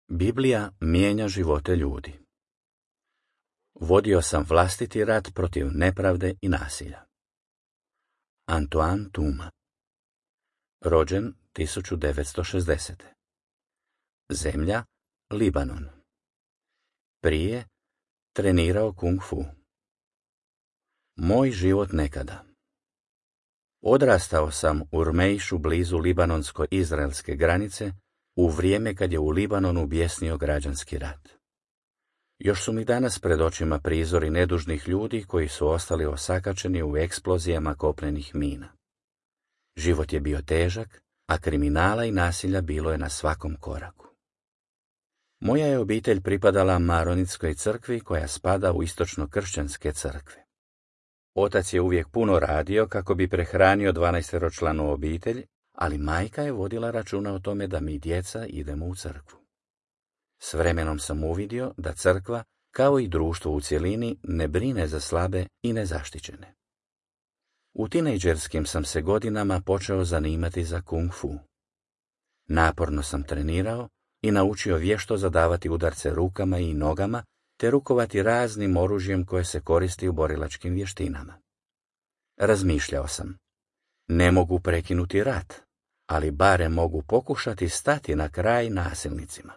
Biblija mijenja živote ljudi. Vodio sam vlastiti rat protiv nepravde i nasilja. Antoine Tuma. Rođen 1960. Zemlja Libanon. Prije trenirao kung fu. Moj život nekada. Odrastao sam u Rmejšu blizu libanonsko-izraelske granice u vrijeme kad je u Libanonu bjesnio građanski rat. Još su mi danas pred očima prizori nedužnih ljudi koji su ostali osakačeni u eksplozijama kopnenih mina. Život je bio težak, a kriminala i nasilja bilo je na svakom koraku. Moja je obitelj pripadala Maronitskoj crkvi koja spada u istočno-kršćanske crkve. Otac je uvijek puno radio kako bi prehranio 12-članu obitelj, ali majka je vodila računa o tome da mi djeca idemo u crkvu. S vremenom sam uvidio da crkva, kao i društvo u cjelini, ne brine za slabe i nezaštićene. U tinejdžerskim sam se godinama počeo zanimati za kung fu. Naporno sam trenirao i naučio vješto zadavati udarce rukama i nogama, te rukovati raznim oružjem koje se koristi u borilačkim vještinama. Razmišljao sam, ne mogu prekinuti rat, ali barem mogu pokušati stati na kraj nasilnicima.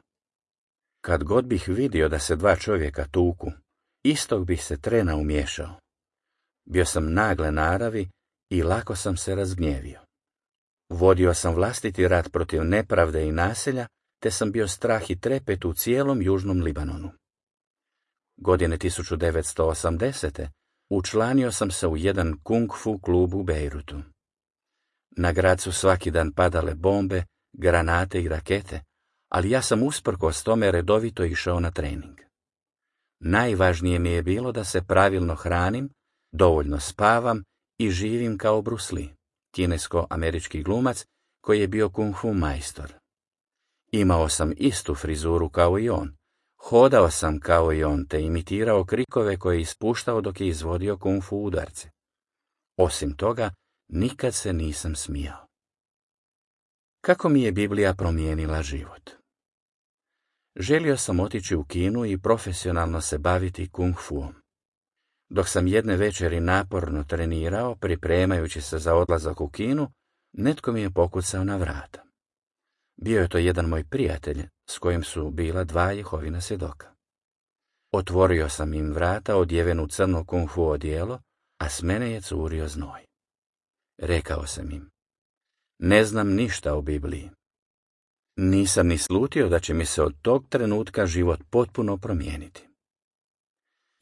Kad god bih vidio da se dva čovjeka tuku, istog bih se trena umiješao. Bio sam nagle naravi i lako sam se razgnjevio. Vodio sam vlastiti rat protiv nepravde i nasilja, te sam bio strah i trepet u cijelom južnom Libanonu. Godine 1980. učlanio sam se u jedan kung fu klub u Bejrutu. Na grad su svaki dan padale bombe, granate i rakete, ali ja sam usprkos tome redovito išao na trening. Najvažnije mi je bilo da se pravilno hranim, dovoljno spavam i živim kao Bruce Lee, kinesko-američki glumac koji je bio kung fu majstor. Imao sam istu frizuru kao i on, hodao sam kao i on te imitirao krikove koje je ispuštao dok je izvodio kung fu udarce. Osim toga, nikad se nisam smijao. Kako mi je Biblija promijenila život? Želio sam otići u Kinu i profesionalno se baviti kung fuom. Dok sam jedne večeri naporno trenirao, pripremajući se za odlazak u Kinu, netko mi je pokucao na vrata. Bio je to jedan moj prijatelj, s kojim su bila dva Jehovina svjedoka. Otvorio sam im vrata odjeven u crno kung fu odijelo, a s mene je curio znoj. Rekao sam im, ne znam ništa o Bibliji. Nisam ni slutio da će mi se od tog trenutka život potpuno promijeniti.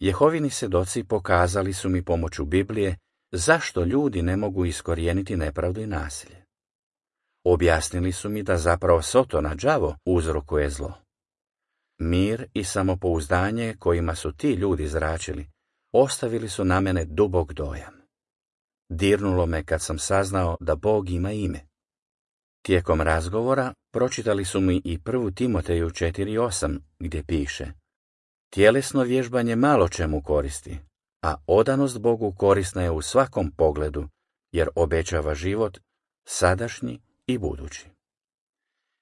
Jehovini svjedoci pokazali su mi pomoću Biblije zašto ljudi ne mogu iskorijeniti nepravdu i nasilje. Objasnili su mi da zapravo Sotona đavo uzrokuje zlo. Mir i samopouzdanje kojima su ti ljudi zračili ostavili su na mene dubok dojam. Dirnulo me kad sam saznao da Bog ima ime. Tijekom razgovora pročitali su mi i 1. Timoteju 4:8 gdje piše: tjelesno vježbanje malo čemu koristi, a odanost Bogu korisna je u svakom pogledu, jer obećava život sadašnji i budući.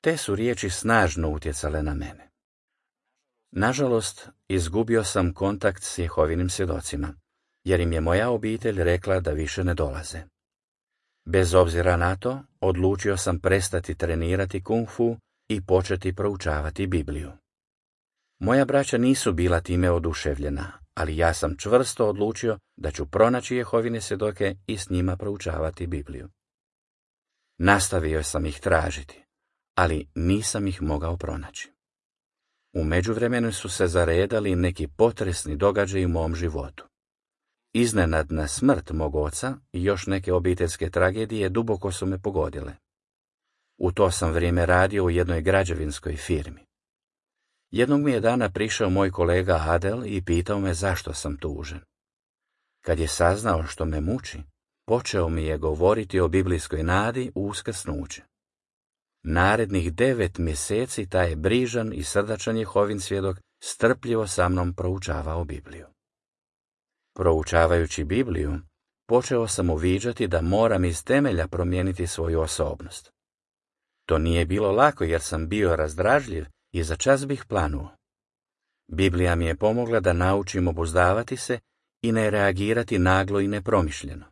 Te su riječi snažno utjecale na mene. Nažalost, izgubio sam kontakt s Jehovinim svjedocima, jer im je moja obitelj rekla da više ne dolaze. Bez obzira na to, odlučio sam prestati trenirati kung fu i početi proučavati Bibliju. Moja braća nisu bila time oduševljena, ali ja sam čvrsto odlučio da ću pronaći Jehovine svjedoke i s njima proučavati Bibliju. Nastavio sam ih tražiti, ali nisam ih mogao pronaći. U međuvremenu su se zaredali neki potresni događaji u mom životu. Iznenadna smrt mog oca i još neke obiteljske tragedije duboko su me pogodile. U to sam vrijeme radio u jednoj građevinskoj firmi. Jednog mi je dana prišao moj kolega Adel i pitao me zašto sam tužan. Kad je saznao što me muči, počeo mi je govoriti o biblijskoj nadi u uskrsnuće. Narednih 9 mjeseci taj je brižan i srdačan Jehovin svjedok strpljivo sa mnom proučavao Bibliju. Proučavajući Bibliju, počeo sam uviđati da moram iz temelja promijeniti svoju osobnost. To nije bilo lako jer sam bio razdražljiv i za čas bih planuo. Biblija mi je pomogla da naučim obuzdavati se i ne reagirati naglo i nepromišljeno.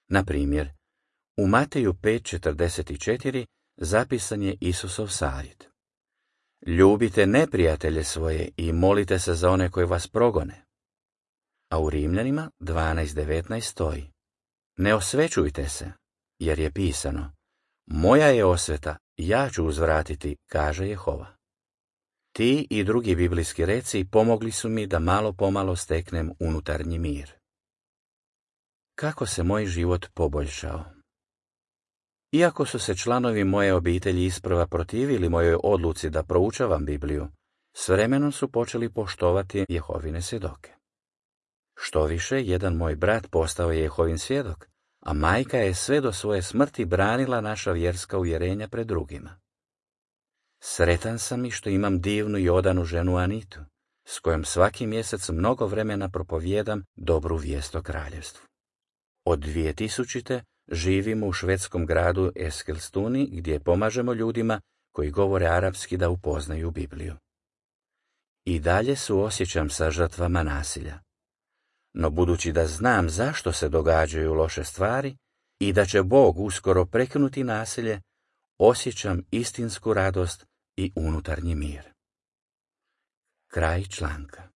Na primjer, u Mateju 5:44 zapisan je Isusov savjet. Ljubite neprijatelje svoje i molite se za one koji vas progone. A u Rimljanima 12:19 stoji: Ne osvećujte se, jer je pisano: Moja je osveta, ja ću uzvratiti, kaže Jehova. Ti i drugi biblijski reci pomogli su mi da malo pomalo steknem unutarnji mir. Kako se moj život poboljšao? Iako su se članovi moje obitelji isprva protivili mojoj odluci da proučavam Bibliju, s vremenom su počeli poštovati Jehovine svjedoke. Štoviše, jedan moj brat postao je Jehovin svjedok, a majka je sve do svoje smrti branila naša vjerska uvjerenja pred drugima. Sretan sam i što imam divnu i odanu ženu Anitu, s kojom svaki mjesec mnogo vremena propovijedam dobru vijest o kraljevstvu. Od 2000. živimo u švedskom gradu Eskilstuni, gdje pomažemo ljudima koji govore arapski da upoznaju Bibliju. I dalje suosjećam sa žrtvama nasilja. No budući da znam zašto se događaju loše stvari i da će Bog uskoro prekinuti nasilje, osjećam istinsku radost i unutarnji mir. Kraj članka.